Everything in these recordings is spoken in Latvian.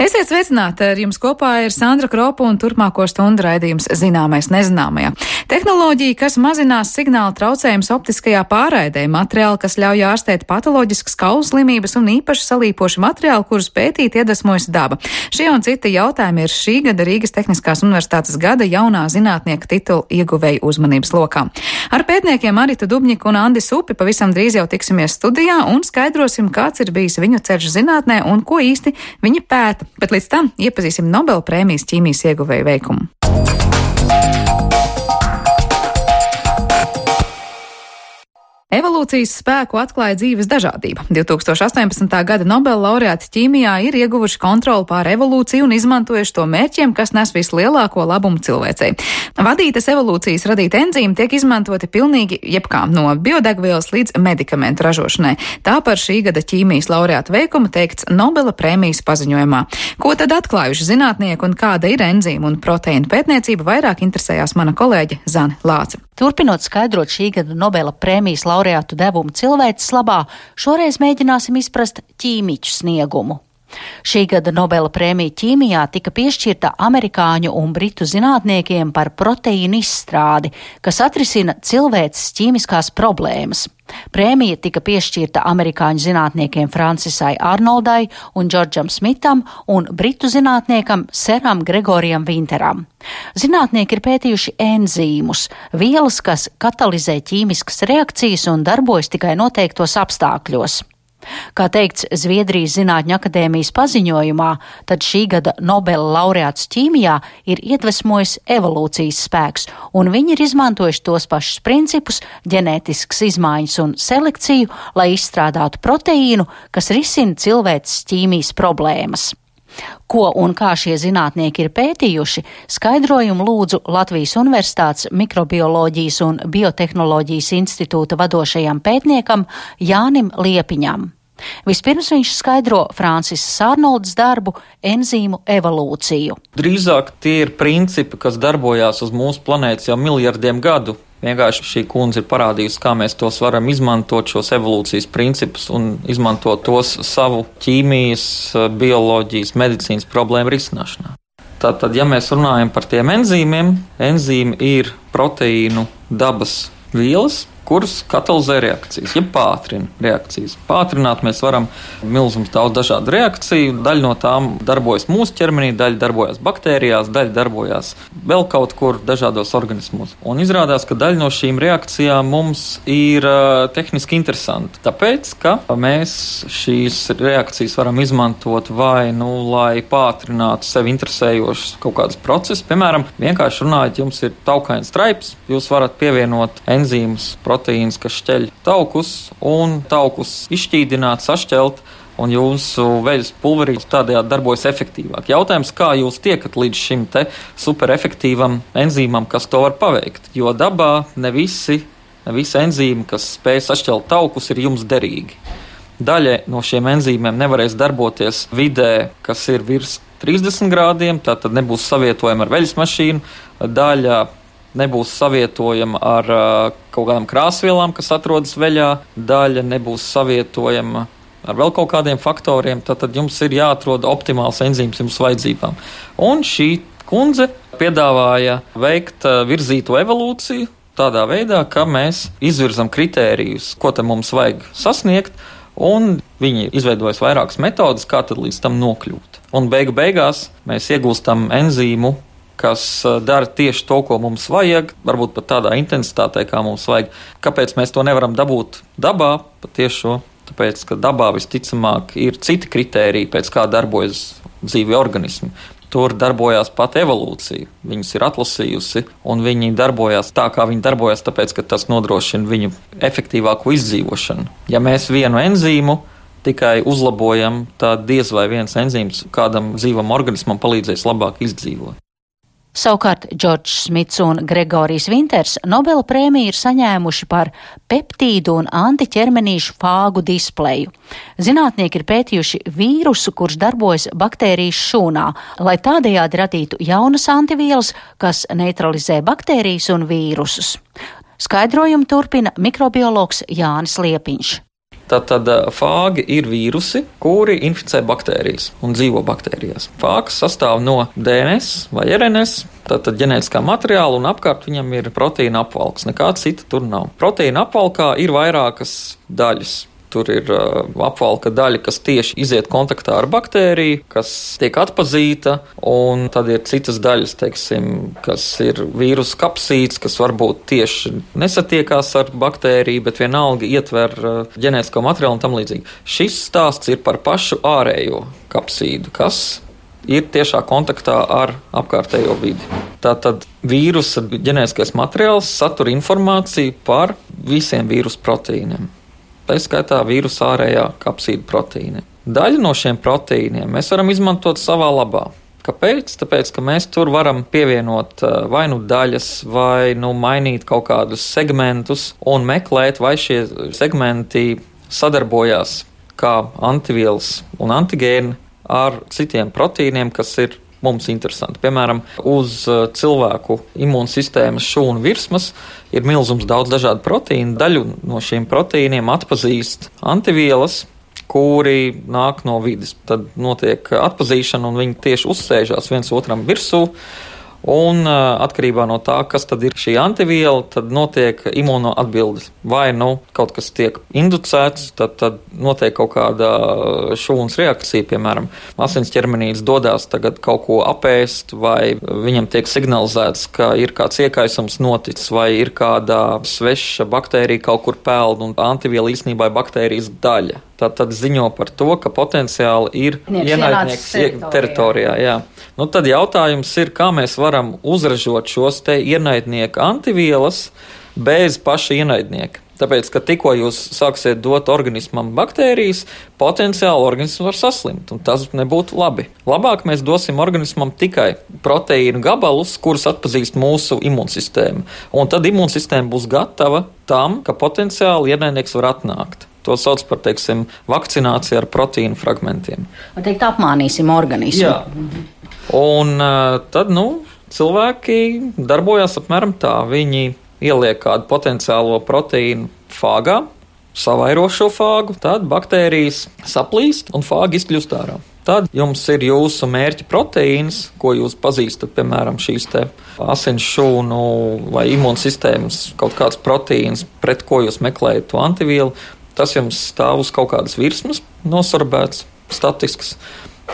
Esiet sveicināti, ar jums kopā ir Sandra Kropa un turpmāko stundu raidījums Zināmais nezināmajā. Tehnoloģija, kas mazinās signāla traucējumus optiskajā pārraidē, materiāli, kas ļauj ārstēt patoloģiskas kaulu slimības un īpaši salīpoši materiāli, kurus pētīt iedvesmojas daba. Šie un citi jautājumi ir šī gada Rīgas Tehniskās universitātes gada jaunā zinātnieka titula ieguvēju uzmanības lokā. Ar pētniekiem Aritu Dubņiku un Andi Supi pavisam drīz jau tiksimies studijā un skaidrosim, kāds ir bijis viņu ceļš zinātnē un ko īsti viņi pēta. Bet līdz tam iepazīsim Nobela prēmijas ķīmijas ieguvēju veikumu. Evolūcijas spēku atklāja dzīves dažādība. 2018. gada Nobela laureāti ķīmijā ir ieguvuši kontroli pār evolūciju un izmantojuši to mērķiem, kas nes vislielāko labumu cilvēcei. Vadītas evolūcijas radīti enzīmi tiek izmantoti pilnīgi jebkā, no biodegvielas līdz medikamentu ražošanai. Tā par šī gada ķīmijas laureātu veikumu teikts Nobela prēmijas paziņojumā. Ko tad atklājuši zinātnieki un kāda ir enzīmu un proteīnu pētniecība, vairāk interesējās mana kolēģe Zane Lāce. Turpinot skaidrot šī gada Nobela prēmijas laureātu devumu cilvēces labā, šoreiz mēģināsim izprast ķīmiķu sniegumu. Šī gada Nobela prēmija ķīmijā tika piešķirta amerikāņu un britu zinātniekiem par proteīnu izstrādi, kas atrisina cilvēces ķīmiskās problēmas. Prēmija tika piešķirta amerikāņu zinātniekiem Francisai Arnoldai un Džordžam Smitam un britu zinātniekam Seram Gregorijam Vinteram. Zinātnieki ir pētījuši enzīmus, vielas, kas katalizē ķīmiskas reakcijas un darbojas tikai noteiktos apstākļos. Kā teikts Zviedrijas Zinātņu akadēmijas paziņojumā, tad šī gada Nobela laureāts ķīmijā ir iedvesmojis evolūcijas spēks, un viņi ir izmantojuši tos pašus principus, ģenētiskas izmaiņas un selekciju, lai izstrādātu proteīnu, kas risina cilvēces ķīmijas problēmas. Ko un kā šie zinātnieki ir pētījuši, skaidrojumu lūdzu Latvijas Universitātes Mikrobioloģijas un Biotehnoloģijas institūta vadošajam pētniekam Jānim Liepiņam. Vispirms viņš skaidro Francisas Arnoldas darbu enzīmu evolūciju. Drīzāk tie ir principi, kas darbojās uz mūsu planētas jau miljardiem gadu. Vienkārši šī kundze ir parādījusi, kā mēs tos varam izmantot, šos evolūcijas principus, un izmantot tos savu ķīmijas, bioloģijas, medicīnas problēmu risināšanā. Tātad, ja mēs runājam par tiem enzīmiem, enzīmi ir proteīnu dabas vielas, kuras katalizē reakcijas, ja pātrina reakcijas. Pātrināt mēs varam milzums daudz dažādu reakciju, daļa no tām darbojas mūsu ķermenī, daļa darbojas baktērijās, daļa darbojas vēl kaut kur dažādos organismos. Un izrādās, ka daļa no šīm reakcijām mums ir tehniski interesanti, tāpēc, ka mēs šīs reakcijas varam izmantot vai, lai pātrinātu sevi interesējošus kaut kādus procesus. Piemēram, vienkārši runājot, jums ir taukains straips, jūs varat pievienot enzīmus, proteīns, kas šķeļ taukus, un taukus izšķīdināt, sašķelt, un jūsu veļas pulverīts tādējādi darbojas efektīvāk. Jautājums, kā jūs tiekat līdz šim te superefektīvam enzīmam, kas to var paveikt? Jo dabā ne visi enzīmi, kas spēj sašķelt taukus, ir jums derīgi. Daļa no šiem enzīmiem nevarēs darboties vidē, kas ir virs 30 grādiem, tātad nebūs savietojama ar veļas mašīnu, daļa nebūs savietojama ar kaut kādām krāsvielām, kas atrodas veļā, daļa nebūs savietojama ar vēl kaut kādiem faktoriem, tad jums ir jāatrod optimāls enzīms jums vajadzībām. Un šī kundze piedāvāja veikt virzīto evolūciju tādā veidā, ka mēs izvirzam kritērijus, ko te mums vajag sasniegt, un viņi izveidojas vairākas metodas, kā tad līdz tam nokļūt. Un beigās mēs iegūstam enzīmu, kas dara tieši to, ko mums vajag, varbūt pat tādā intensitātē, kā mums vajag. Kāpēc mēs to nevaram dabūt dabā? Patiešo, tāpēc, ka dabā visticamāk ir citi kritēriji, pēc kā darbojas dzīvi organismi. Tur darbojās pat evolūcija. Viņus ir atlasījusi, un viņi darbojās tā, kā viņi darbojās, tāpēc, ka tas nodrošina viņu efektīvāku izdzīvošanu. Ja mēs vienu enzīmu tikai uzlabojam, tad diez vai viens enzīms kādam dzīvam organismam palīdzēs labāk izdzīvot. Savukārt Džordžs Smits un Gregorijs Vinters Nobela prēmiju ir saņēmuši par peptīdu un antiķermenīšu fāgu displeju. Zinātnieki ir pētījuši vīrusu, kurš darbojas baktērijas šūnā, lai tādējādi radītu jaunas antivielas, kas neutralizē baktērijas un vīrusus. Skaidrojumu turpina mikrobiologs Jānis Liepiņš. Tātad fāgi ir vīrusi, kuri inficē baktērijas un dzīvo baktērijās. Fāgs sastāv no DNS vai RNS, tātad ģenētiskā materiāla, un apkārt viņam ir proteīna apvalks. Nekā cita tur nav. Proteīna apvalkā ir vairākas daļas. Tur ir apvalka daļa, kas tieši iziet kontaktā ar baktēriju, kas tiek atpazīta, un tad ir citas daļas, teiksim, kas ir vīrusu kapsīts, kas varbūt tieši nesatiekās ar baktēriju, bet vienalga ietver ģenētisko materiālu un tam līdzīgi. Šis stāsts ir par pašu ārējo kapsīdu, kas ir tiešā kontaktā ar apkārtējo vidi. Tātad vīrusa ģenētiskais materiāls satur informāciju par visiem vīrusu proteīniem. Tā skaitā vīrusa ārējā kapsīda proteīna. Daļu no šiem proteīniem mēs varam izmantot savā labā. Kāpēc? Tāpēc, ka mēs tur varam pievienot vai nu daļas, vai nu mainīt kaut kādus segmentus un meklēt, vai šie segmenti sadarbojās kā antivielas un antigēni ar citiem proteīniem, kas ir mums interesanti. Piemēram, uz cilvēku imūnsistēmas šūnu virsmas ir milzums daudz dažādu proteīnu. Daļu no šiem proteīniem atpazīst antivielas, kuri nāk no vides. Tad notiek atpazīšana, un viņi tieši uzsēžās viens otram virsū. Un atkarībā no tā, kas tad ir šī antiviela, tad notiek imunoatbildes. Vai nu kaut kas tiek inducēts, tad notiek kaut kāda šūnas reakcija, piemēram, asins ķermenītis dodās tagad kaut ko apēst, vai viņam tiek signalizēts, ka ir kāds iekaisums noticis, vai ir kāda sveša baktērija kaut kur peld, un antiviela īstenībā ir baktērijas daļa. Tad ziņo par to, ka potenciāli ir ienaidnieks teritorijā. Jā. Nu, tad jautājums ir, kā mēs varam uzražot šos te ienaidnieku antivielas bez paša ienaidnieka. Tāpēc, ka tikko jūs sāksiet dot organismam baktērijas, potenciāli organisms var saslimt, un tas nebūtu labi. Labāk mēs dosim organismam tikai proteīnu gabalus, kurus atpazīst mūsu imūnsistēma. Un tad imūnsistēma būs gatava tam, ka potenciāli ienaidnieks var atnākt. To sauc par, teiksim, vakcināciju ar proteīnu fragmentiem. Man teikt, apmānīsim organismu. Jā. Un tad, cilvēki darbojās apmēram tā. Viņi ieliek kādu potenciālo proteīnu fāgā, savairo šo fāgu, tad baktērijas saplīst un fāgi izkļūst ārā. Tad jums ir jūsu mērķa proteīns, ko jūs pazīstat, piemēram, šīs te asins šūnu vai imūnsistēmas kaut kāds proteīns, pret ko jūs meklējat to antivielu. Tas jums stāv uz kaut kādas virsmas, nosorbēts, statisks,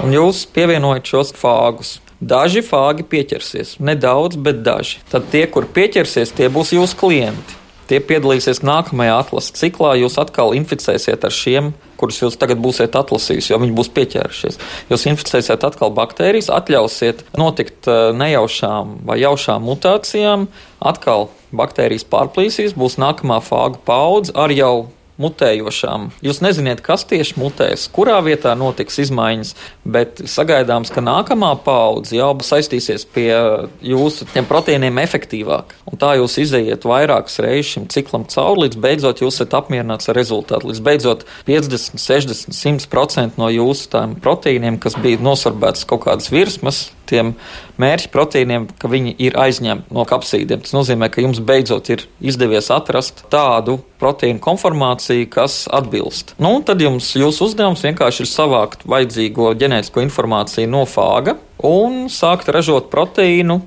un jūs pievienojat šos fāgus. Daži fāgi pieķersies, nedaudz, bet daži. Tad tie, kur pieķersies, tie būs jūsu klienti. Tie piedalīsies nākamajā atlases ciklā, jūs atkal inficēsiet ar šiem, kurus jūs tagad būsiet atlasījusi, jo viņi būs pieķērušies. Jūs inficēsiet atkal baktērijas, atļausiet notikt nejaušām vai jaušām mutācijām, atkal baktērijas pārplīsīs, būs nākamā fāgu paudze ar jau mutējošām. Jūs neziniet, kas tieši mutēs, kurā vietā notiks izmaiņas, bet sagaidāms, ka nākamā paudze jau saistīsies pie jūsu tiem proteīniem efektīvāk. Un tā jūs izējiet vairākas reizes šim ciklam cauri, līdz beidzot jūs esat apmierināts ar rezultātu. Līdz beidzot 50, 60, 100% no jūsu tām proteīniem, kas bija nosorbētas kaut kādas virsmas, tiem mērķa proteīniem, ka viņi ir aizņemti no kapsīdiem. Tas nozīmē, ka jums beidzot ir izdevies atrast tādu proteīnu konformāciju, kas atbilst. Tad jūsu uzdevums vienkārši ir savākt vajadzīgo ģenētisko informāciju no fāga un sākt ražot proteīnu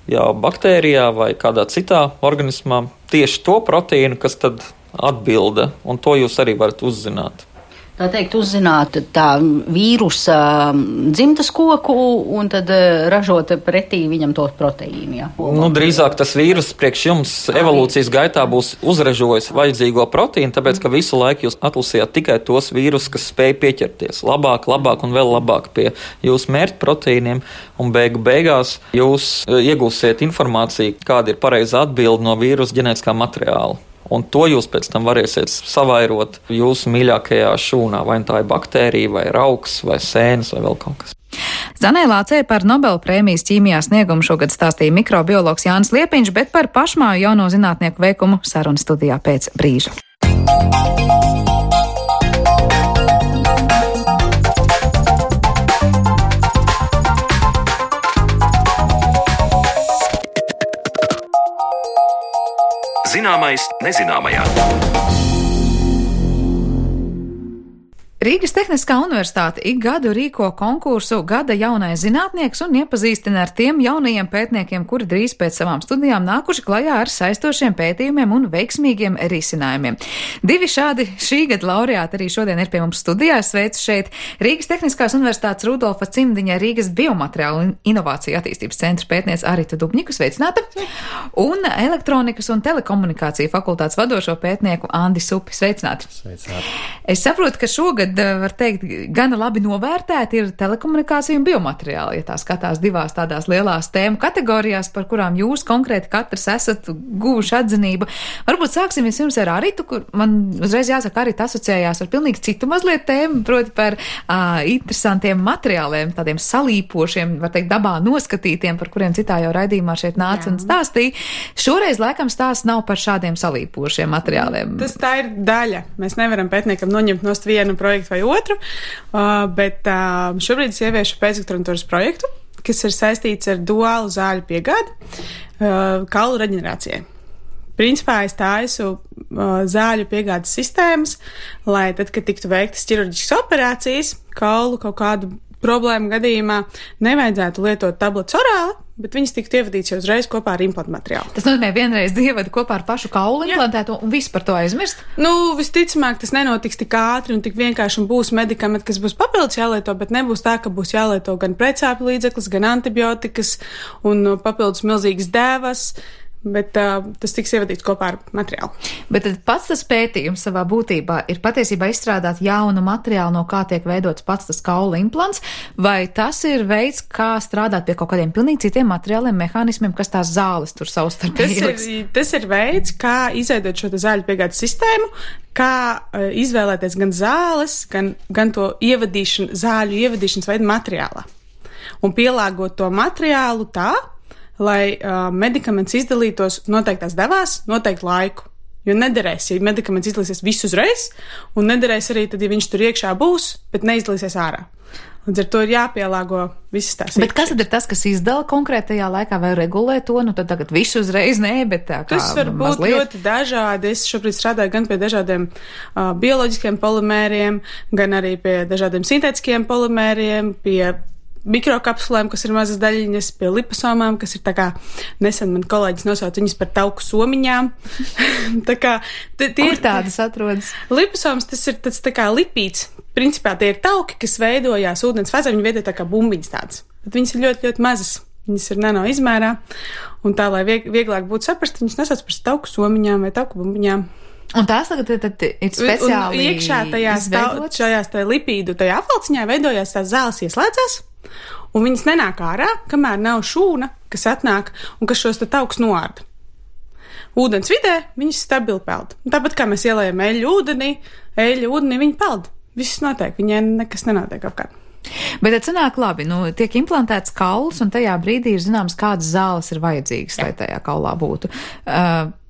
jau baktērijā vai kādā citā organismā. Tieši to proteīnu, kas tad atbilda, un to jūs arī varat uzzināt. Tā teikt, uzzināt tā vīrusa dzimtas koku un tad ražot pretī viņam tos proteīnu. Ja? Drīzāk tas vīrus priekš jums evolūcijas gaitā būs uzražojis vajadzīgo proteīnu, tāpēc, ka visu laiku jūs atlasījāt tikai tos vīrusus, kas spēj pieķerties labāk un vēl labāk pie jūsu mērķa proteīniem, un beigās jūs iegūsiet informāciju, kāda ir pareizā atbilde no vīrusa ģenētiskā materiāla. Un to jūs pēc tam varēsiet savairot jūsu mīļākajā šūnā, vai tā ir baktērija, vai rauks, vai sēnes, vai vēl kaut kas. Zanē Lācei par Nobela prēmijas ķīmijā sniegumu šogad stāstīja mikrobiologs Jānis Liepiņš, bet par pašmāju jauno zinātnieku veikumu sarunu studijā pēc brīža. Zināmais nezināmajā. Rīgas Tehniskā universitāte ik gadu rīko konkursu Gada jaunais zinātnieks un iepazīstina ar tiem jaunajiem pētniekiem, kuri drīz pēc savām studijām nākuši klajā ar saistošiem pētījumiem un veiksmīgiem risinājumiem. Divi šādi šī gada laureāti arī šodien ir pie mums studijā. Sveicu šeit Rīgas Tehniskās universitātes Rudolfa Cimdiņa Rīgas biomateriālu un inovāciju attīstības centra pētniece Aritu Dubņiku, sveicināta, un elektronikas un telekomunikāciju fakultātes vadošo pētnieku Andi Supi, sveicināti. Es saprotu, ka šogad, var teikt, gana labi novērtēti ir telekomunikācija un biomateriāli, ja tā skatās divās tādās lielās tēmu kategorijās, par kurām jūs konkrēti katrs esat guvuši atzinību. Varbūt sāksim vispirms ar Aritu, kur man uzreiz jāsaka, Arita asociējās ar pilnīgi citu mazliet tēmu, proti par interesantiem materiāliem, tādiem salīpošiem, var teikt, dabā noskatītiem, par kuriem citā jau raidījumā šeit nāca un stāstīja. Šoreiz laikam stāsts nav par šādiem salīpošiem materiāliem. Tas tā ir daļa. Mēs nevaram pētniekam noņemt nost vienu projektu vai otru, bet šobrīd es ieviešu pēcdoktorantūras projektu, kas ir saistīts ar duālu zāļu piegādi kaulu reģenerācijai. Principā es taisu zāļu piegādes sistēmas, lai tad, kad tiktu veiktas ķirurģiskas operācijas, kaulu kaut kādu problēmu gadījumā nevajadzētu lietot tabletes orāli, bet viņas tiktu ievadīts jau uzreiz kopā ar implantu materiālu. Tas nozīmē vienreiz ievada kopā ar pašu kaulu implantēto un viss par to aizmirst? Visticamāk, tas nenotiks tik ātri un tik vienkārši un būs medikamenti, kas būs papildus jālieto, bet nebūs tā, ka būs jālieto gan precāpju līdzeklis, gan antibiotikas un papildus milzīgas dēvas. Bet tas tiks ievadīts kopā ar materiālu. Bet tad pats tas pētījums savā būtībā ir patiesībā izstrādāt jaunu materiālu, no kā tiek veidots pats tas kaula implants, vai tas ir veids, kā strādāt pie kaut kādiem pilnīgi citiem materiāliem, mehānismiem, kas tās zāles tur savstarpēji ieliks? Tas ir veids, kā izveidot šo zāļu piegādes sistēmu, kā izvēlēties gan zāles, gan to zāļu ievadīšanas veidu materiālā. Un pielāgot to materiālu tā, lai medikaments izdalītos noteiktās devās, noteiktu laiku. Jo nederēs, ja medikaments izdalīsies visu uzreiz, un nederēs arī tad, ja viņš tur iekšā būs, bet neizdalīsies ārā. Līdz ar to ir jāpielāgo visas tās. Bet kas tad ir tas, kas izdala konkrētajā laikā vai regulē to? Tad tagad visu uzreiz nē, bet tā kā tas var būt mazliet ļoti dažādi. Es šobrīd strādāju gan pie dažādiem bioloģiskiem polimēriem, gan arī pie dažādiem sintētiskiem polimēriem, pie mikrokapsulēm, kas ir mazas daļiņas, pie liposomām, kas ir tā kā nesen man kolēģis nosauca viņas par tauku somiņām. Tā kā kur tādas atrodas? Liposomas, tas ir tāds tā kā lipīds. Principā tie ir tauki, kas veidojās ūdens fāzē, viņi veido tā kā bumbiņas tādas. Bet viņas ir ļoti, ļoti mazas. Viņas ir nano izmērā. Un tā, lai vieglāk būtu saprast, viņas nesauc par tauku somiņām vai tauku bumbiņām. Un tās tagad ir speciāli un iekšā šajās lipīdu tajā apvalciņā veidojās tās zāles ieslēdzās. Un viņas nenāk ārā, kamēr nav šūna, kas atnāk un kas šos taukus noārda. Ūdens vidē viņas stabili peld. Un tāpat kā mēs ielējam eļļu ūdenī viņi peld. Viss notiek, viņai nekas nenotiek apkārt. Bet tad sanāk labi, tiek implantēts kauls un tajā brīdī ir zināms, kādas zāles ir vajadzīgas, lai tajā kaulā būtu.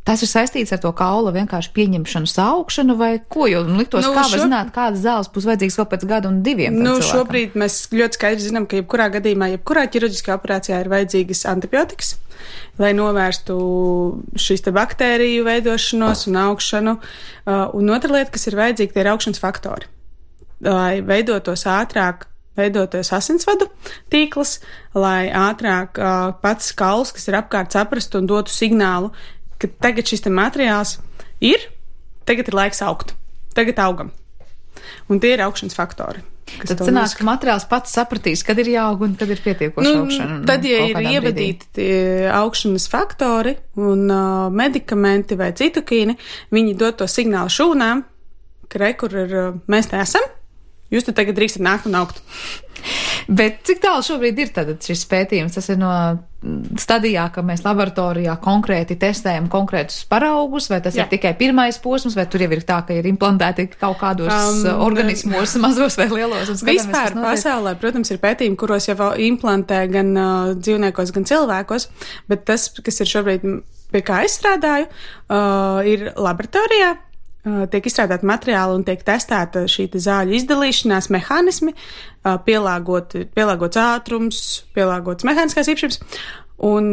Tas ir saistīts ar to kaula vienkārši pieņemšanu, saukšanu vai ko, jo liktos, kā var zināt, kādas zāles būs vajadzīgas vēl pēc gada un diviem. Šobrīd mēs ļoti skaidri zinām, ka jebkurā gadījumā, jebkurā ķirurģiskā operācijā ir vajadzīgas antibiotikas, lai novērstu šīs te baktēriju veidošanos un augšanu. Un otra lieta, kas ir vajadzīga, tie ir augšanas faktori. Lai veidotos asinsvadu tīkls, lai ātrāk pats kauls, kas ir apkārt, saprastu un dotu signālu, ka tagad šis te materiāls tagad ir laiks augt, tagad augam. Un tie ir augšanas faktori. Tad sanāk, ka materiāls pats sapratīs, kad ir jāaug un kad ir pietiekoši augšana. Tad, ja ir ievadīti augšanas faktori un medikamenti vai citokīni, viņi dod to signālu šūnām, ka kur ir, mēs te esam, jūs te tagad drīkstat nākt un augt. Bet cik tālu šobrīd ir tad šis pētījums? Tas ir no stadijā, ka mēs laboratorijā konkrēti testējam konkrētus paraugus, vai tas ir tikai pirmais posms, vai tur jau ir tā, ka ir implantēti kaut kādos organismos, mazos vai lielos? Vispār pasaulē, protams, ir pētījumi, kuros jau implantē gan dzīvniekos, gan cilvēkos, bet tas, kas ir šobrīd, pie kā es strādāju, ir laboratorijā. Tiek izstrādāti materiāli un tiek testēta šī zāļu izdalīšanās mehānismi, pielāgots ātrums, pielāgots mehāniskās īpašības. Un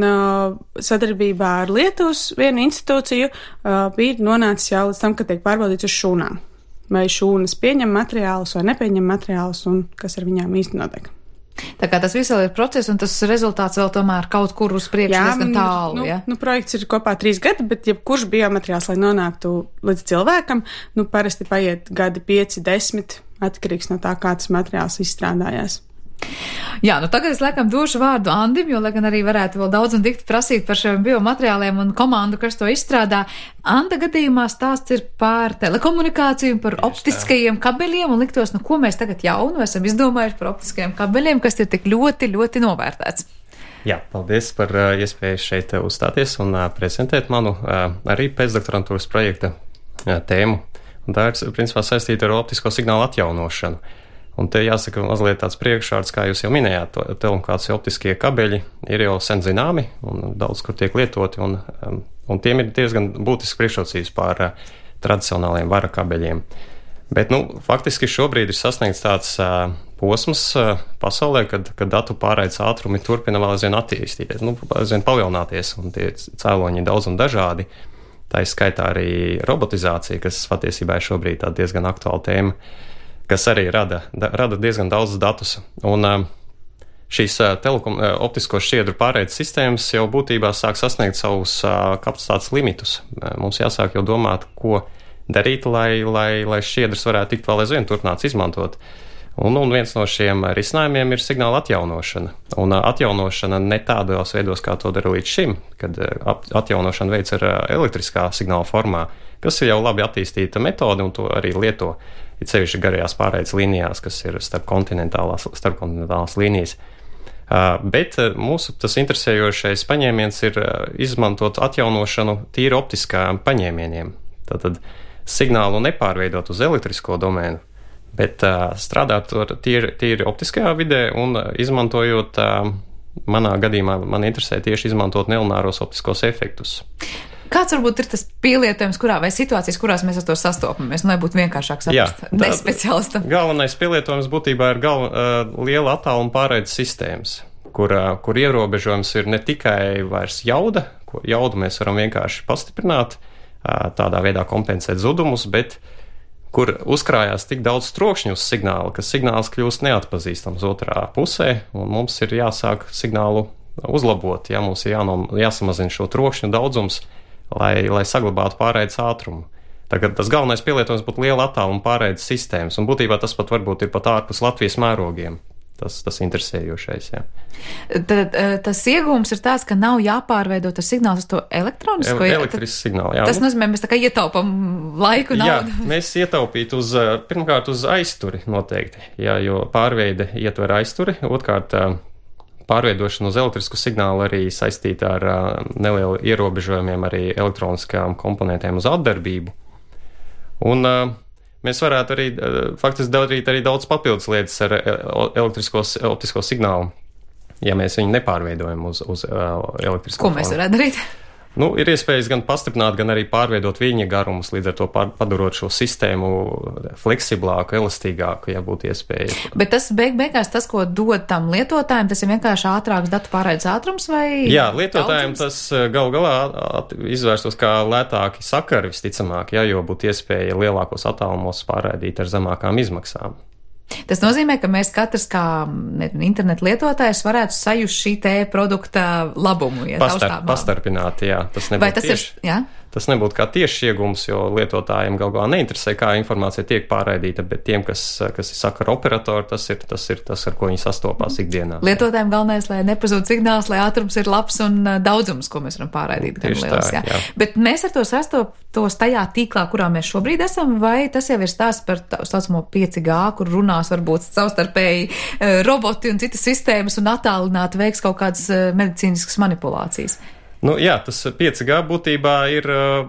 sadarbībā ar Lietuvas vienu institūciju bija nonācis jau līdz tam, ka tiek pārbaudīts uz šūnām. vai šūnas pieņem materiālus vai nepieņem materiālus un kas ar viņām īsti notiek. Tā kā tas viss vēl ir process, un tas rezultāts vēl tomēr kaut kur uz priekšu diezgan tālu, ja? Projekts ir kopā 3 gadi, bet jebkurš biomateriāls, lai nonāktu līdz cilvēkam, parasti paiet gadi 5, 10, atkarīgs no tā, kā tas materiāls izstrādājās. Jā, tagad es laikam došu vārdu Andim, jo, lai gan arī varētu vēl daudz un dikti prasīt par šiem biomateriāliem un komandu, kas to izstrādā. Anda gadījumā stāsts ir par telekomunikāciju, par optiskajiem kabeļiem, un liktos, ko mēs tagad jaunu esam izdomājuši par optiskajiem kabeļiem, kas ir tik ļoti, ļoti novērtēts. Jā, paldies par iespēju šeit uzstāties un prezentēt manu arī pēcdoktorantūras projekta tēmu. Un tā ir, principā, saistīta ar optisko signālu atjaunošanu. Un te jāsaka mazliet tāds priekšvārds, kā jūs jau minējāt, telekomunikāciju optiskie kabeļi ir jau sen zināmi un daudz kur tiek lietoti, un tiem ir diezgan būtisks priekšrocības pār tradicionāliem vara kabeļiem. Bet, faktiski šobrīd ir sasniegts tāds posms pasaulē, kad datu pārraides ātrumi turpina vēl aizvien attīstīties, aizvien palielināties, un tie cēloņi ir daudz un dažādi. Tā ir skaitā arī robotizācija, kas patiesībā ir šobrīd tā diezgan aktuāla tēma, kas arī rada diezgan daudz datus. Un šīs optisko šķiedru pārraides sistēmas jau būtībā sāk sasniegt savus kapacitātes limitus. Mums jāsāk jau domāt, ko darīt, lai šķiedras varētu tikt vēl aizvien turpināts izmantot. Un viens no šiem risinājumiem ir signāla atjaunošana. Un atjaunošana ne tādos veidos, kā to dara līdz šim, kad atjaunošana veids ar elektriskā signāla formā, kas ir jau labi attīstīta metode un to arī lieto. Ir sevišķi garajās pārraides līnijās, kas ir starpkontinentālās līnijas. Bet mūsu tas interesējošais paņēmiens ir izmantot atjaunošanu tīri optiskām paņēmieniem. Tātad signālu nepārveidot uz elektrisko domēnu, bet strādāt tīri optiskajā vidē un izmantojot, manā gadījumā man interesē tieši izmantot nelināros optiskos efektus. Kāds varbūt ir tas pielietojums, vai situācijas, kurās mēs ar to sastopamies, lai būtu vienkāršāk saprast nespeciālistam? Galvenais pielietojums būtībā ir liela attāluma pārraides sistēmas, kur ierobežojums ir ne tikai vairs jauda, ko jaudu mēs varam vienkārši pastiprināt, tādā veidā kompensēt zudumus, bet kur uzkrājās tik daudz trokšņu uz signālu, ka signāls kļūst neatpazīstams otrā pusē, un mums ir jāsāk signālu uzlabot, mums ir jāsamazina šo trokšņu daudzums, lai saglabātu pārraides ātrumu. Tagad tas galvenais pielietojums būtu liela attāluma pārraides sistēmas, un būtībā tas pat varbūt ir pat ārpus Latvijas mērogiem. Tas interesējošais, jā. Tad tas iegūms ir tāds, ka nav jāpārveido tas signāls uz to elektronisko? Elektrisku signālu, jā. Tas nozīmē, mēs tā kā ietaupam laiku, naudu. Jā, mēs ietaupītu pirmkārt uz aizturi noteikti, jo pārveide ietver aizturi, otrkārt pārveidošana uz elektrisku signālu arī saistīta ar nelielu ierobežojumiem arī elektroniskām komponentēm uz atdarbību. Un mēs varētu arī faktiski darīt arī daudz papildus lietas ar optisko signālu, ja mēs viņu nepārveidojam uz elektrisko. Ko mēs varētu darīt? Ir iespējas gan pastiprināt, gan arī pārveidot viņa garumus, līdz ar to padarot šo sistēmu fleksiblāku, elastīgāku, ja būtu iespēja. Bet tas beigās tas, ko dod tam lietotājiem, tas ir vienkārši ātrāks datu pārraides ātrums vai? Jā, lietotājiem tas galu galā izvērstos kā lētāki sakari visticamāk, jo būtu iespēja lielākos attālumos pārraidīt ar zemākām izmaksām. Tas nozīmē, ka mēs katrs kā internetu lietotājs varētu sajust šī te produkta labumu. Ja pastarpināt, jā. Tas nebūtu kā tieši iegums, jo lietotājiem galu galā neinteresē, kā informācija tiek pārraidīta, bet tiem, kas ir sakaru operatori, tas ir tas, ar ko viņi sastopās ikdienā. Lietotājiem galvenais, lai nepazūd signāls, lai ātrums ir labs un daudzums, ko mēs varam pārraidīt. Tieši liels, tā, jā. Bet mēs ar to sastoptos tajā tīklā, kurā mēs šobrīd esam, vai tas jau ir stāsts par tā saucamo 5G, kur runās varbūt savstarpēji roboti un citas sistēmas un attālināti veiks kaut kādas medicīniskas manipulācijas? Jā, tas 5G būtībā ir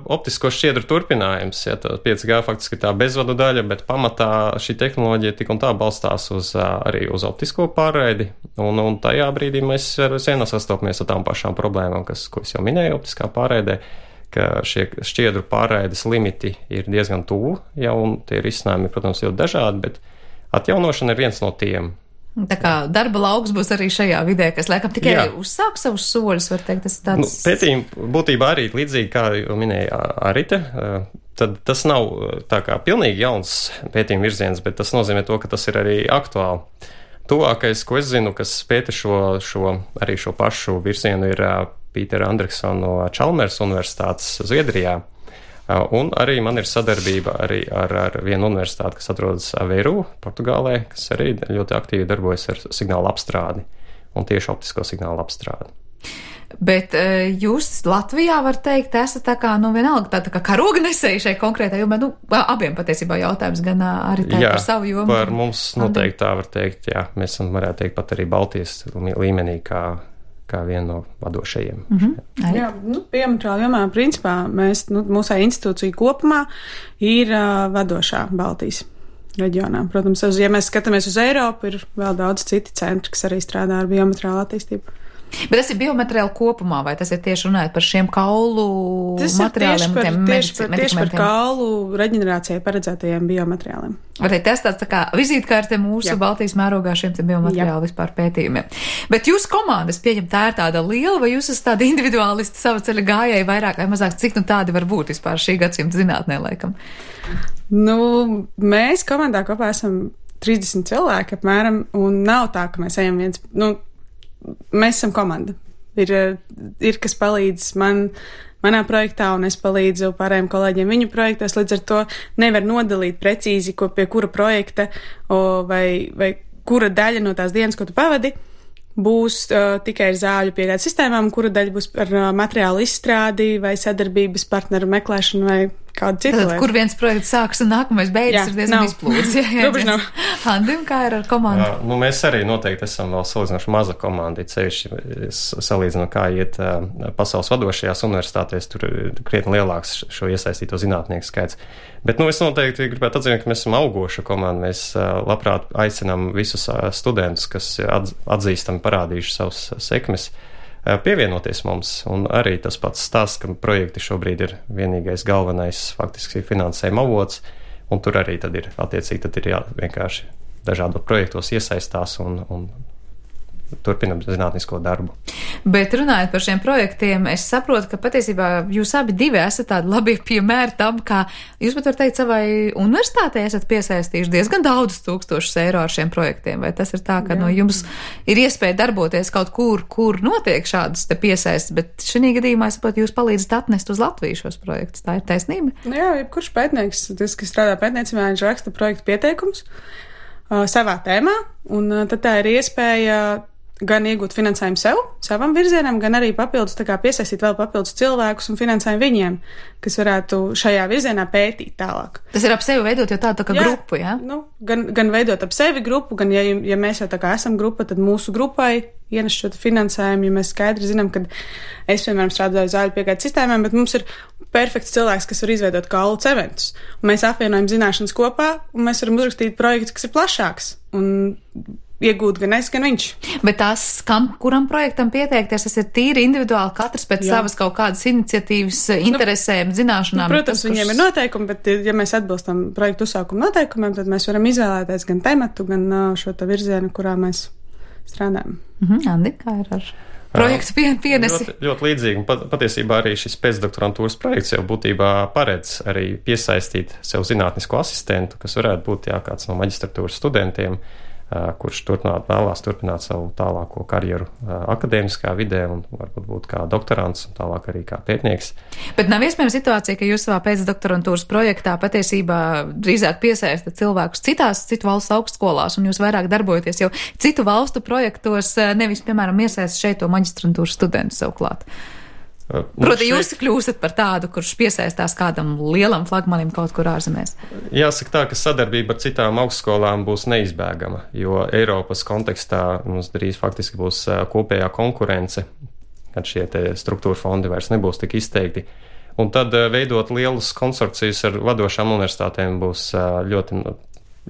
optisko šķiedru turpinājums. Ja, 5G faktiski ir tā bezvadu daļa, bet pamatā šī tehnoloģija tik un tā balstās arī uz optisko pārraidi. Un tajā brīdī mēs vienā sastopamies ar tām pašām problēmām, ko es jau minēju optiskā pārraidē, ka šie šķiedru pārraides limiti ir diezgan tuvu, un tie risinājumi, protams, ļoti dažādi, bet atjaunošana ir viens no tiem. Tā kā darba lauks būs arī šajā vidē, kas laikam tikai uzsāk savus soļus, var teikt, tas ir tāds... Pētījumi būtībā arī līdzīgi, kā jau minēja Arite, tad tas nav tā kā pilnīgi jauns pētījuma virziens, bet tas nozīmē to, ka tas ir arī aktuāli. Tuvākais, ko es zinu, kas pēta šo pašu virzienu, ir Pītera Andriksona no Chalmers Universitātes Zviedrijā. Un arī man ir sadarbība arī ar vienu universitāti, kas atrodas Aveiro, Portugālē, kas arī ļoti aktīvi darbojas ar signālu apstrādi un tieši optisko signālu apstrādi. Bet jūs Latvijā, var teikt, esat tā kā, vienalga tā kā karoganesēji šai konkrētai jomai, abiem patiesībā jautājums, gan arī tā par savu jomu. Jā, par mums noteikti tā var teikt, jā, mēs varētu teikt pat arī Baltijas līmenī kā viena no vadošajiem. Jā, biomateriāla jomā, principā, mūsu institūcija kopumā ir vadošā Baltijas reģionā. Protams, ja mēs skatāmies uz Eiropu, ir vēl daudz citi centri, kas arī strādā ar biomateriālu attīstību. Bet tas ir biomateriāli kopumā, vai tas ir tieši runājot par šiem kaulu materiāliem? Tieši par kaulu reģenerācijai paredzētajiem biomateriāliem. Vai tas tāds tā kā vizītkarte mūsu Baltijas mērogā šiem biomateriālu vispār pētījumiem? Bet jūsu komandas, pieņem, tā ir tāda liela, vai jūs esat tādi individuālisti sava ceļa gājēji vairāk vai mazāk, cik tādi var būt vispār šī gadsimta zinātnē, laikam? Mēs komandā kopā esam 30 cilvēki apmēram, un nav tā, ka mēs ejam viens, mēs esam komanda. Ir kas palīdz manā projektā, un es palīdzu pārējiem kolēģiem viņu projektos, līdz ar to nevar nodalīt precīzi, pie kura projekta vai kura daļa no tās dienas, ko tu pavadi, būs tikai ar zāļu piegādes sistēmām, kura daļa būs par materiālu izstrādi vai sadarbības partneru meklēšanu vai kādu citu lietu. Kur viens projekts sāks un nākamais beidzas, ir diezgan izplūdes. Robežu nav. Andim, kā ir ar komandu? Mēs arī noteikti esam vēl salīdzinoši maza komanda, salīdzinot, kā iet pasaules vadošajās universitātēs, tur ir krietni lielāks šo iesaistīto zinātnieku skaits. Bet, es noteikti gribētu atzīmēt, ka mēs esam augoša komanda. Mēs labprāt aicinām visus studentus, kas atzīstami parādījuši savus sekmes, pievienoties mums, un arī tas pats stāsts, ka projekti šobrīd ir vienīgais galvenais faktiski finansējuma avots, un tur arī tad ir attiecīgi, vienkārši dažādos projektos iesaistās un turpinam zinātnisko darbu. Bet runājot par šiem projektiem, es saprotu, ka patiesībā jūs abi divi esat tādi labi piemēri tam, kā jūs pat var teikt savai universitātei esat piesaistījuši diezgan daudz tūkstošus eiro ar šiem projektiem. Vai tas ir tā, ka jums ir iespēja darboties kaut kur notiek šādas te piesaistes, bet šī gadījumā es saprotu, jūs palīdzat atnest uz Latviju šos projektus. Tā ir taisnība? Jā, jebkurš pētnieks, kas strādā pētniecībā, viņš raksta projektu pieteikumus savā tēmā, un tad tā ir iespēja gan iegūt finansējumu savam virzienam, gan arī papildus piesaistīt vēl papildus cilvēkus un finansējumu viņiem, kas varētu šajā virzienā pētīt tālāk. Tas ir ap sevi veidot jau tādu kā grupu, jā? Gan veidot ap sevi grupu, gan ja mēs jau tā kā esam grupa, tad mūsu grupai ienes šo finansējumu, ja mēs skaidri zinām, ka es, piemēram, strādāju zāļu piegādes sistēmām, bet mums ir perfekts cilvēks, kas var izveidot kaulu cementus. Un mēs apvienojam zināšanas kopā, un mēs varam uzrakstīt projektu, kas ir plašāks. Un iegūt gan es, gan viņš. Bet kuram projektam pieteikties, tas ir tīri individuāli, katrs pēc savas kaut kādas iniciatīvas, interesēm, zināšanām. Protams, viņiem ir noteikumi, bet ja mēs atbilstam projektu uzsākuma noteikumiem, tad mēs varam izvēlēties gan tematu, gan šo virzienu, kurā mēs strādājam. Andi, kā ir ar projektu pienesi? Ļoti līdzīgi. Patiesībā arī šis pēcdoktorantūras projekts jau būtībā paredz arī piesaistīt sev zinātnisko asistentu, kas varētu būt kāds no maģistratūras studentiem, kurš vēlās turpināt savu tālāko karjeru akadēmiskā vidē un varbūt būt kā doktorants un tālāk arī kā pētnieks. Bet nav iespējama situācija, ka jūs savā pēcdoktorantūras projektā patiesībā drīzāk piesaistat cilvēkus citu valstu augstskolās un jūs vairāk darbojaties jau citu valstu projektos, nevis, piemēram, iesaistat šeit to maģistrantūras studentu savu klāt. Proti, jūs kļūstat par tādu, kurš piesaistās kādam lielam flagmanim kaut kur ārzemēs? Jāsaka tā, ka sadarbība ar citām augstskolām būs neizbēgama, jo Eiropas kontekstā mums drīz faktiski būs kopējā konkurence, kad šie struktūra fondi vairs nebūs tik izteikti. Un tad veidot lielus konsorcijus ar vadošām universitātēm būs ļoti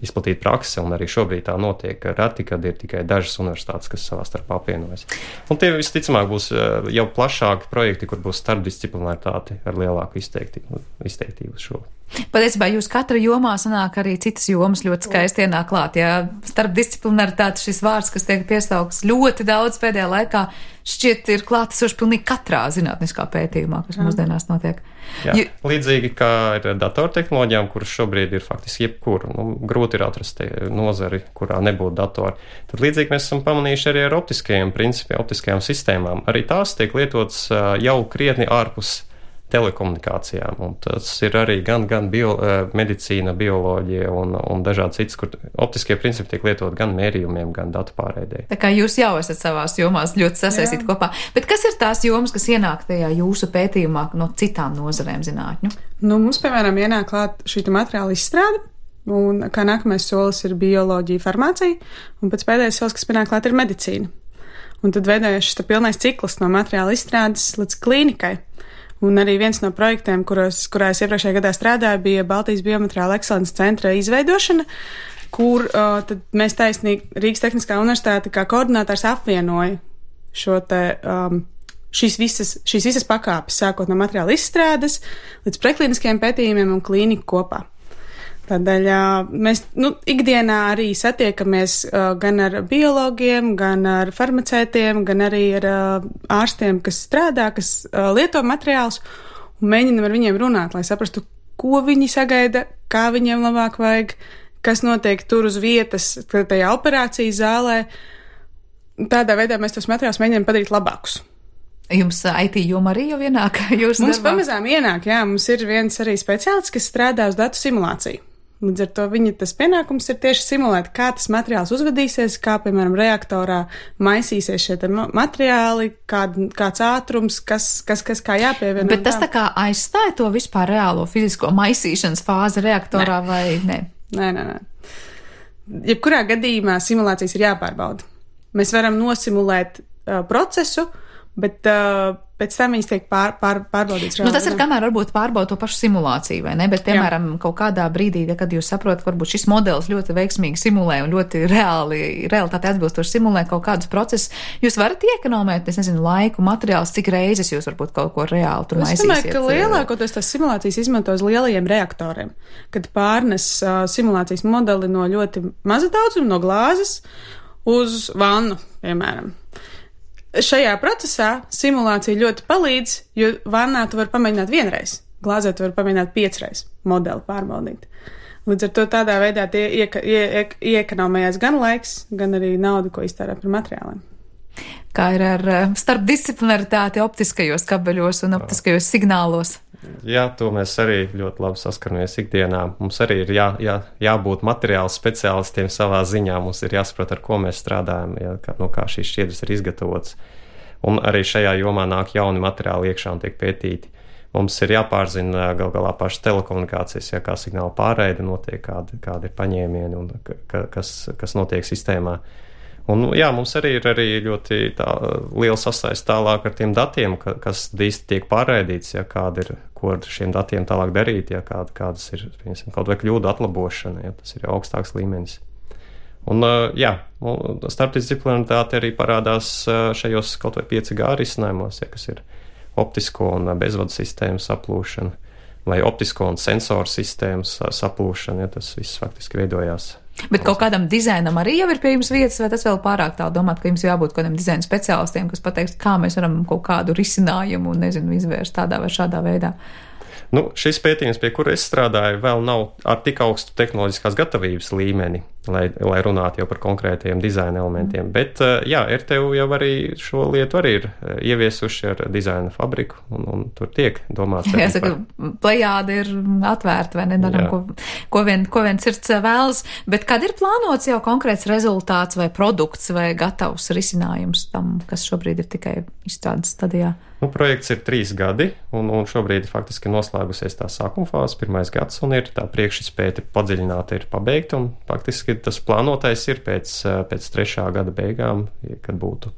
izplatīt praksi, un arī šobrīd tā notiek reti, kad ir tikai dažas universitātes, kas savā starpā apvienojas. Un tie visticamāk būs jau plašāki projekti, kur būs starpdisciplinaritāte ar lielāku izteiktību šo Patiesībā jūs katra jomā sanāk arī citas jomas ļoti skaisti ienāk klāt. Ja starpdisciplinaritāte šis vārds, kas tiek piesaukts ļoti daudz pēdējā laikā, šķiet ir klātesoši pilnīgi katrā zinātniskā pētījumā, kas mūsdienās notiek. Jā, līdzīgi kā ar datortehnoloģijām, kuras šobrīd ir faktiski jebkur, grūti ir atrast nozari, kurā nebūtu datori. Tad līdzīgi mēs esam pamanījuši arī ar optiskajiem principiem, optiskajām sistēmām. Arī tās tiek lietotas jau krietni ārpus telekomunikācijām, un tas ir arī gan medicīna, bioloģija un dažādi citas, kur optiskie principi tiek lietot gan mērījumiem, gan datu pārraidei. Tā kā jūs jau esat savās jomās ļoti sasaistīti kopā. Bet kas ir tās jomas, kas ienāk tajā jūsu pētījumā no citām nozarēm zinātņu? Mums, piemēram, ienāk klāt šī materiāla izstrāde, un kā nākamais solis ir bioloģija, farmācija, un pēc pēdējais solis, kas pienāk klāt, ir medicīna. Un tad veidojas šis pilnais cikls no materiāla izstrādes līdz klīnikai. Un arī viens no projektiem, kurā es iepriekšējā gadā strādāju, bija Baltijas biomateriāla ekscelences centra izveidošana, kur tad mēs taisnīgi Rīgas Tehniskā universitāte kā koordinātors apvienoja šīs visas pakāpes, sākot no materiāla izstrādes līdz preklīniskiem pētījumiem un klīniku kopā. Tādēļ mēs ikdienā arī satiekamies gan ar biologiem, gan ar farmaceitiem, gan arī ar ārstiem, kas strādā, kas lieto materiālus, un mēģinam ar viņiem runāt, lai saprastu, ko viņi sagaida, kā viņiem labāk vajag, kas notiek tur uz vietas, tajā operācijas zālē. Tādā veidā mēs tos materiālus mēģinām padarīt labākus. Jums IT joma arī jau ienāk? Mums pamazām ienāk, jā, mums ir viens arī speciālists, kas strādā uz datu simulāciju. Līdz ar to viņa tas pienākums ir tieši simulēt, kā tas materiāls uzvedīsies, kā, piemēram, reaktorā maisīsies šie materiāli, kāds ātrums, kas kā jāpievieno. Bet tas tā kā aizstāja to vispār reālo fizisko maisīšanas fāzi reaktorā vai ne? Nē. Jebkurā gadījumā simulācijas ir jāpārbauda. Mēs varam nosimulēt procesu, bet pēc tam viņas tiek pārbaudīts. Tas ir kamēr varbūt pārbauda to pašu simulāciju, vai ne? Bet, piemēram, kaut kādā brīdī, kad jūs saprotat, ka varbūt šis modelis ļoti veiksmīgi simulē un ļoti realitāte atbilstoši simulē kaut kādus procesus, jūs varat iekonomēt, es nezinu, laiku, materiālus, cik reizes jūs varbūt kaut ko reāli tur maisīsiet. Es domāju, ka lielākoties tās simulācijas izmanto uz lielajiem reaktoriem, kad pārnes simulācijas modeli no ļoti maza daudzuma, no glāzes uz vannu, piemēram. Šajā procesā simulācija ļoti palīdz, jo vannā tu vari pamēģināt vienreiz, glāzē tu vari pamēģināt 5 reizes modeli pārbaudīt. Līdz ar to tādā veidā iekonomējās gan laiks, gan arī nauda, ko iztērē par materiāliem. Kā ir ar starpdisciplinaritāti optiskajos kabeļos un optiskajos signālos? Jā, to mēs arī ļoti labi saskaramies ikdienā. Mums arī ir jābūt materiālu speciālistiem savā ziņā. Mums ir jāsaprot, ar ko mēs strādājam, kā šīs šķiedras ir izgatavotas. Un arī šajā jomā nāk jauni materiāli iekšā un tiek pētīti. Mums ir jāpārzina gal galā pašas telekomunikācijas, kā signāla pārraide notiek, kādi ir paņēmieni un kas notiek sistēmā. Un, jā, mums arī ir ļoti liela sasaiste tālāk ar tiem datiem, kas īsti tiek pārraidīts, ko ar šiem datiem tālāk darīt, kādas ir, piemēram, kaut vai kļūdu atlabošana, tas ir augstāks līmenis. Un, starpdisciplinaritāte arī parādās šajos kaut vai 5G risinājumos, kas ir optisko un bezvadu sistēmu saplūšana, vai optisko un sensoru sistēmu saplūšana, tas viss faktiski veidojās. Bet kaut kādam dizainam arī jau ir pie jums vietas, vai tas vēl pārāk tālu domāt, ka jums jābūt kādam dizaina speciālistiem, kas pateiks, kā mēs varam kaut kādu risinājumu, izvērst tādā vai šādā veidā? Šis pētījums, pie kura es strādāju, vēl nav ar tik augstu tehnoloģiskās gatavības līmeni, lai runātu jau par konkrētajiem dizaina elementiem. Bet, RTU jau arī šo lietu arī ir ieviesuši ar dizaina fabriku, un tur tiek domāts. Jāsaka, plejāde ir atvērta, vai nedaram, ko vien sirds vēlas, bet kad ir plānots jau konkrēts rezultāts vai produkts vai gatavs risinājums tam, kas šobrīd ir tikai izstrādes stadijā? Projekts ir 3 gadi, un šobrīd faktiski noslēgusies tā sākuma fāze, 1. gads, un ir tā priekšizpēte padziļināta ir pabeigta, un faktiski tas plānotais ir pēc 3. gada beigām, kad būtu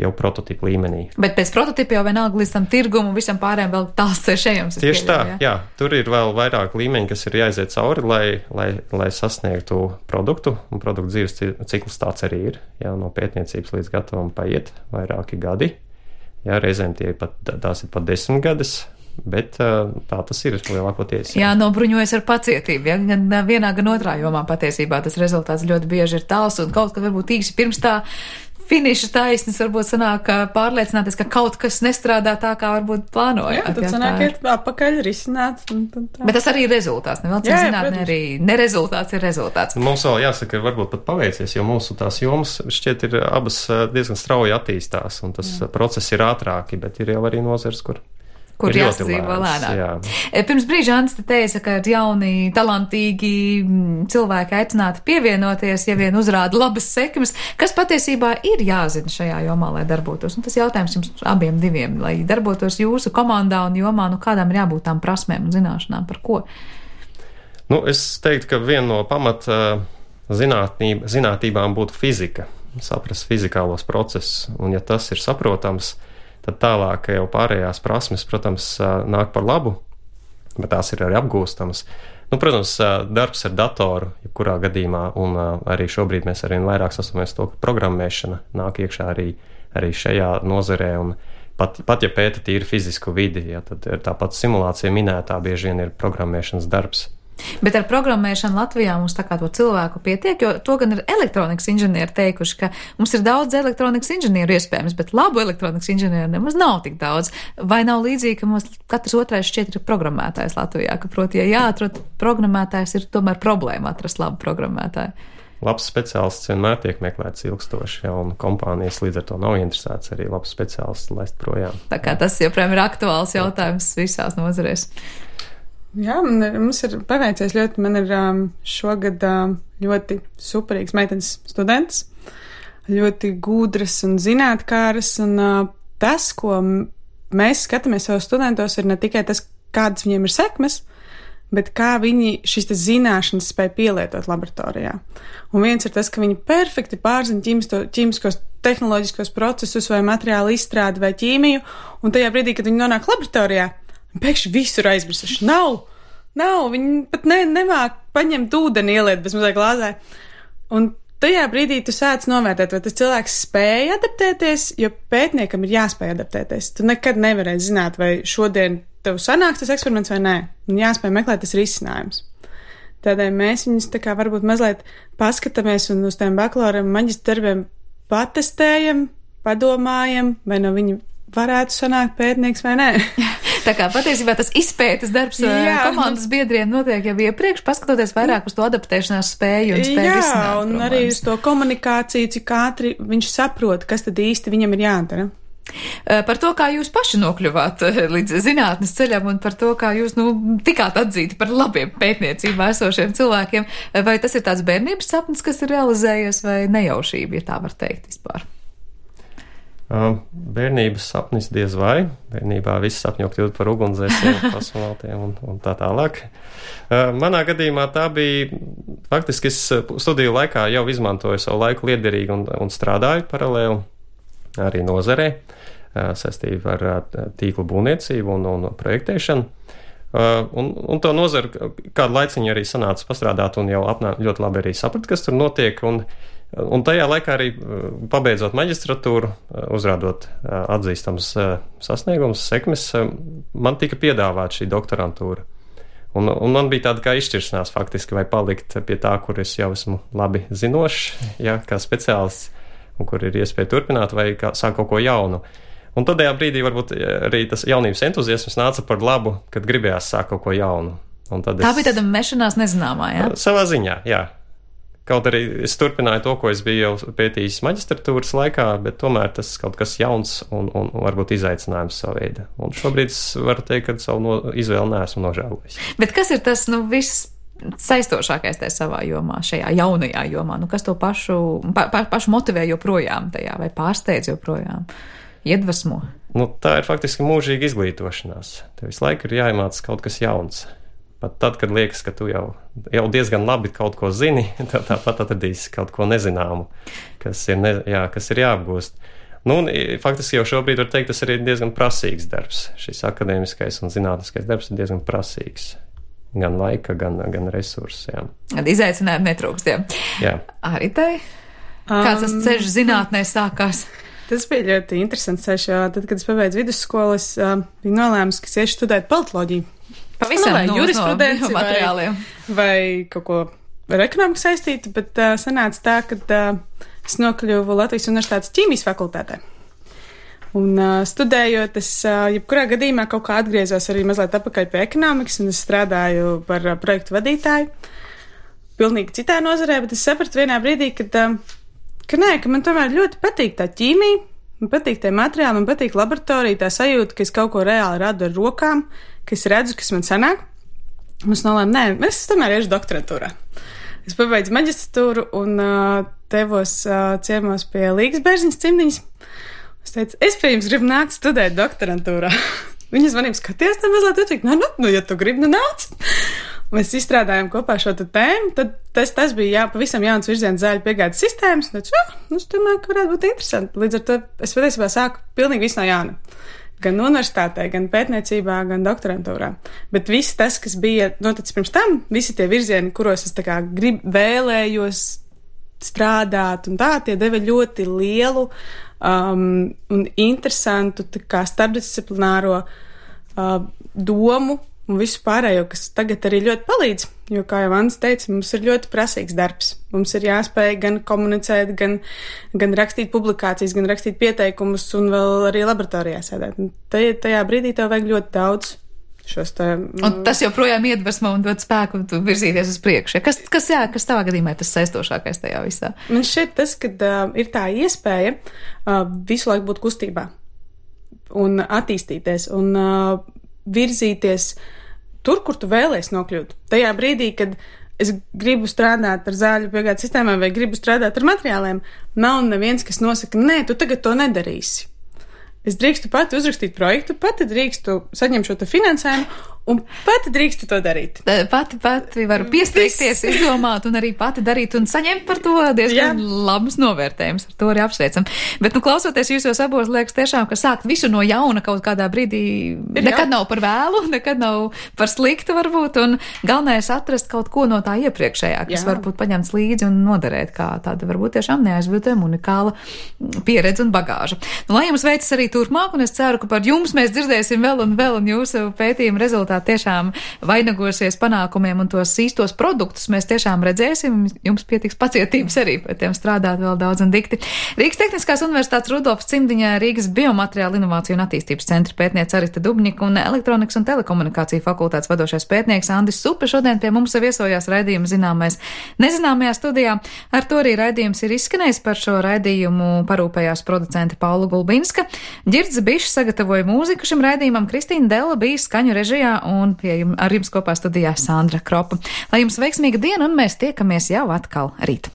jau prototipu līmenī. Bet pēc prototipa jau vienalga līdz tam tirgumu visam pārējiem vēl tāls ceļš ejams. Tieši tā, jā. Tur ir vēl vairāk līmeņi, kas ir jāiziet cauri, lai sasniegtu produktu, un produktu dzīves cikls tāds arī ir. Jā, no pētniecības līdz gatavam paiet vairāki gadi. Jā, reizēm tās ir pat 10 gadus, Bet tā tas ir lielākoties. Jā, nobruņojas ar pacietību. Ja? Gan vienā, gan otrā jomā patiesībā tas rezultāts ļoti bieži ir tāls un kaut kad varbūt īsi pirms tā finiša taisnes varbūt sanāk pārliecināties, ka kaut kas nestrādā tā, kā varbūt plānojāt. Jā, tad sanāk iet apakaļ risināt. Bet tas arī ir rezultāts. Nevēlcim zinātnē arī nerezultāts ir rezultāts. Mums vēl jāsaka, varbūt pat paveicies, jo mūsu tās jomas šķiet ir abas diezgan strauji attīstās un tas process ir ātrāki, bet ir jau arī nozars, kur jāsadzīvo lēnāk. Pirms brīža Ants te teica, ka jauni, talantīgi cilvēki aicināti pievienoties, ja vien uzrāda labas sekmes, kas patiesībā ir jāzina šajā jomā, lai darbotos. Un tas jautājums jums abiem diviem, lai darbotos jūsu komandā un jomā, kādām ir jābūt tām prasmēm un zināšanām, par ko? Es teiktu, ka viena no pamat zinātībām būtu fizika, saprast fizikālos procesus, un ja tas ir saprotams, tad tālāk jau pārējās prasmes, protams, nāk par labu, bet tās ir arī apgūstamas. Protams, darbs ar datoru, jebkurā gadījumā, un arī šobrīd mēs arvien vairāk sastopamies to, ka programmēšana nāk iekšā arī šajā nozarē, un pat ja pēta tīri fizisku vidi, ja, tad tāpat simulācija minētā bieži vien ir programmēšanas darbs. Bet ar programmēšanu Latvijā mums tā kā to cilvēku pietiek, jo to gan ir elektronikas inženieri teikuši, ka mums ir daudz elektronikas inženieru iespējams, bet labu elektronikas inženieru nemaz nav tik daudz. Vai nav līdzīgi, ka mums katrs otrais šķiet ir programmētājs Latvijā, ka proti, ja jāatrod programmētājs, ir tomēr problēma atrast labu programmētāju? Labs speciālists vienmēr tiek meklēts ilgstoši, ja, un kompānijas līdz ar to nav interesēts arī labs speciālists laist projām. Tā kā tas joprojām ir aktuāls jautājums visās nozarēs. Jā, mums ir paveicies ļoti. Man ir šogad ļoti superīgs meitenes students, ļoti gudras un zinātkāras, un tas, ko mēs skatāmies savos studentos, ir ne tikai tas, kādas viņiem ir sekmes, bet kā viņi šīs zināšanas spēj pielietot laboratorijā. Un viens ir tas, ka viņi perfekti pārzina ķīmiskos tehnoloģiskos procesus vai materiālu izstrādi vai ķīmiju, un tajā brīdī, kad viņi nonāk laboratorijā, pēkšņi visur aizmirsuši. Nav, viņi pat nemāk paņemt ūdeni, ieliet bez mazliet glāzē. Un tajā brīdī tu sāc novērtēt, vai tas cilvēks spēja adaptēties, jo pētniekam ir jāspēj adaptēties. Tu nekad nevarēsi zināt, vai šodien tev sanāks tas eksperiments vai nē. Un jāspēj meklēt tas risinājums. Tādēļ mēs viņus tā kā varbūt mazliet paskatāmies un uz tiem bakalaura maģistra darbiem patestējam, padomājam, vai no viņa varētu sanākt pētnieks vai nē. Tā kā patiesībā tas izpētes darbs komandas biedriem notiek jau iepriekš, paskatoties vairāk uz to adaptēšanās spēju un spēju risināt un problēmas. Arī uz to komunikāciju, cik ātri viņš saprot, kas tad īsti viņam ir jādara. Par to, kā jūs paši nokļuvāt līdz zinātnes ceļam un par to, kā jūs tikāt atzīti par labiem pētniecībā esošiem cilvēkiem, vai tas ir tāds bērnības sapnis, kas ir realizējies, vai nejaušība, ja tā var teikt vispār? Bērnības sapnis diez vai. Bērnībā viss sapņo kļūt par ugunsdzēsiem, kosmonautiem un tā tālāk. Manā gadījumā tā bija, faktiski es studiju laikā jau izmantoju savu laiku liederīgi un strādāju paralēli arī nozarē, saistībā ar tīklu būvniecību un projektēšanu. Un to nozaru kādu laiciņu arī sanāca pastrādāt un jau ļoti labi arī saprat, kas tur notiek. Un tajā laikā arī pabeidzot maģistratūru, uzrādot atzīstams sasniegums, sekmes, man tika piedāvāta šī doktorantūra. Un man bija tāda kā izšķiršanās faktiski, vai palikt pie tā, kur es jau esmu labi zinošs, ja, kā speciālists, un kur ir iespēja turpināt, vai sāk kaut ko jaunu. Un tādējā brīdī varbūt arī tas jaunības entuziasms nāca par labu, kad gribējās sākt kaut ko jaunu. Tā bija tāda mešanās nezināmā, jā? Savā ziņā, jā. Kaut arī es turpināju to, ko es biju jau pētījis maģistratūras laikā, bet tomēr tas kaut kas jauns un varbūt izaicinājums savu veidu. Un šobrīd es varu teikt, ka savu izvēli neesmu nožēlojis. Bet kas ir tas, viss saistošākais tajā savā jomā, šajā jaunajā jomā? Kas to pašu motivē joprojām tajā vai pārsteidz joprojām? Iedvesmo? Tā ir faktiski mūžīga izglītošanās. Tev visu laiku ir jāiemācās kaut kas jauns. Pat tad, kad liekas, ka tu jau diezgan labi kaut ko zini, tāpat atradīsi kaut ko nezināmu, kas ir jāapgūst. Faktiski jau šobrīd var teikt, tas ir diezgan prasīgs darbs. Šis akadēmiskais un zinātniskais darbs ir diezgan prasīgs. Gan laika, gan resursu. Izaicinājumu netrūkst, jā. Arī tai? Kāds tas ceļš zinātnē sākās? Tas bija ļoti interesants ceļš, jo tad, kad es pabeidzu vidusskolu, es biju nolēmusi, ka es iešu studēt politoloģiju. Pavisam vai jurisprudenci vai kaut ko ar ekonomiku saistītu, bet sanāca tā, ka es nokļuvu Latvijas Universitātes ķīmijas fakultātē. Un studējot, es jebkurā gadījumā kaut kā atgriezos arī mazliet atpakaļ pie ekonomikas, un es strādāju par projektu vadītāju. Pilnīgi citā nozarē, bet es sapratu vienā brīdī, ka man tomēr ļoti patīk tā ķīmija, man patīk tie materiāli, man patīk laboratorija, tā sajūta, ka es kaut ko reāli radu ar rokām, ka es redzu, kas man sanāk. Un es nolēmu, es tomēr iešu doktorantūrā. Es pabeidzu maģistratūru un devos ciemos pie Līgas Bērziņas cimdiņas. Es teicu, es pie jums gribu nākt studēt doktorantūrā. Viņa zvanīja, skaties, tad mazliet teicu, ja tu gribi, nāc. Mēs izstrādājām kopā šo tēmu, tad tas bija pavisam jauns virziens zāļu piegādes sistēmas. Un teicu, es domāju, ka varētu būt interesanti. Līdz ar to es patiesībā sāku pilnīgi visu no jauna. Gan universitātē, gan pētniecībā, gan doktorantūrā. Bet viss tas, kas bija noticis pirms tam, visi tie virzieni, kuros es vēlējos strādāt, un tā tie deva ļoti lielu un interesantu starpdisciplināro domu un visu pārējo, kas tagad arī ļoti palīdz, jo, kā jau Anna teica, mums ir ļoti prasīgs darbs. Mums ir jāspēj gan komunicēt, gan rakstīt publikācijas, gan rakstīt pieteikumus un vēl arī laboratorijā sēdēt. Tajā brīdī tev vajag ļoti daudz Un tas joprojām iedvesmo un dod spēku virzīties uz priekšu. Kas tavā gadījumā ir tas saistošākais tajā visā? Man šķiet tas, ka ir tā iespēja visu laiku būt kustībā un attīstīties un virzīties tur, kur tu vēlies nokļūt. Tajā brīdī, kad es gribu strādāt ar zāļu piegādes sistēmām vai gribu strādāt ar materiāliem, nav neviens, kas nosaka, nē, tu tagad to nedarīsi. Es drīkstu pati uzrakstīt projektu, pati drīkstu saņemt šo finansējumu un pati drīkstu to darīt. Pati varu piestrīkties, izdomāt un arī pati darīt un saņemt par to diezgan labus novērtējumus. Ar to arī apsveicam. Bet, klausoties jūsos abos, liekas tiešām, ka sākt visu no jauna kaut kādā brīdī nekad nav par vēlu, nekad nav par sliktu varbūt, un galvenais atrast kaut ko no tā iepriekšējā, kas varbūt paņemts līdzi un noderēt, kā tāda varbūt tiešām neaizviltojama unikāla pieredze un bagāža. Lai jums veicas arī turpmāk, un es ceru, ka par jums mēs dzirdēsim vēl un jūsu pētījuma rezultātu tiešām vainagosies panākumiem un tos īstos produktus mēs tiešām redzēsim. Jums pietiks pacietības arī pēc tiem strādāt vēl daudz un dikti. Rīgas Tehniskās universitātes Rudolfs Cimdiņā Rīgas Biomateriālu inovāciju un attīstības centra pētniece Arita Dubņika un Elektronikas un telekomunikāciju fakultātes vadošais pētnieks Andis Supe šodien pie mums viesojās raidījuma Zināmais nezināmajā studijā. Ar to arī raidījums ir izskanējis. Par šo raidījumu parūpējās producente Paula Gulbinska. Ģirds Bišs sagatavoja mūziku šim raidījumam, Kristīna Della bija skaņu režijā un ar jums kopā studijā Sandra Kropa. Lai jums veiksmīga diena un mēs tiekamies jau atkal rīt.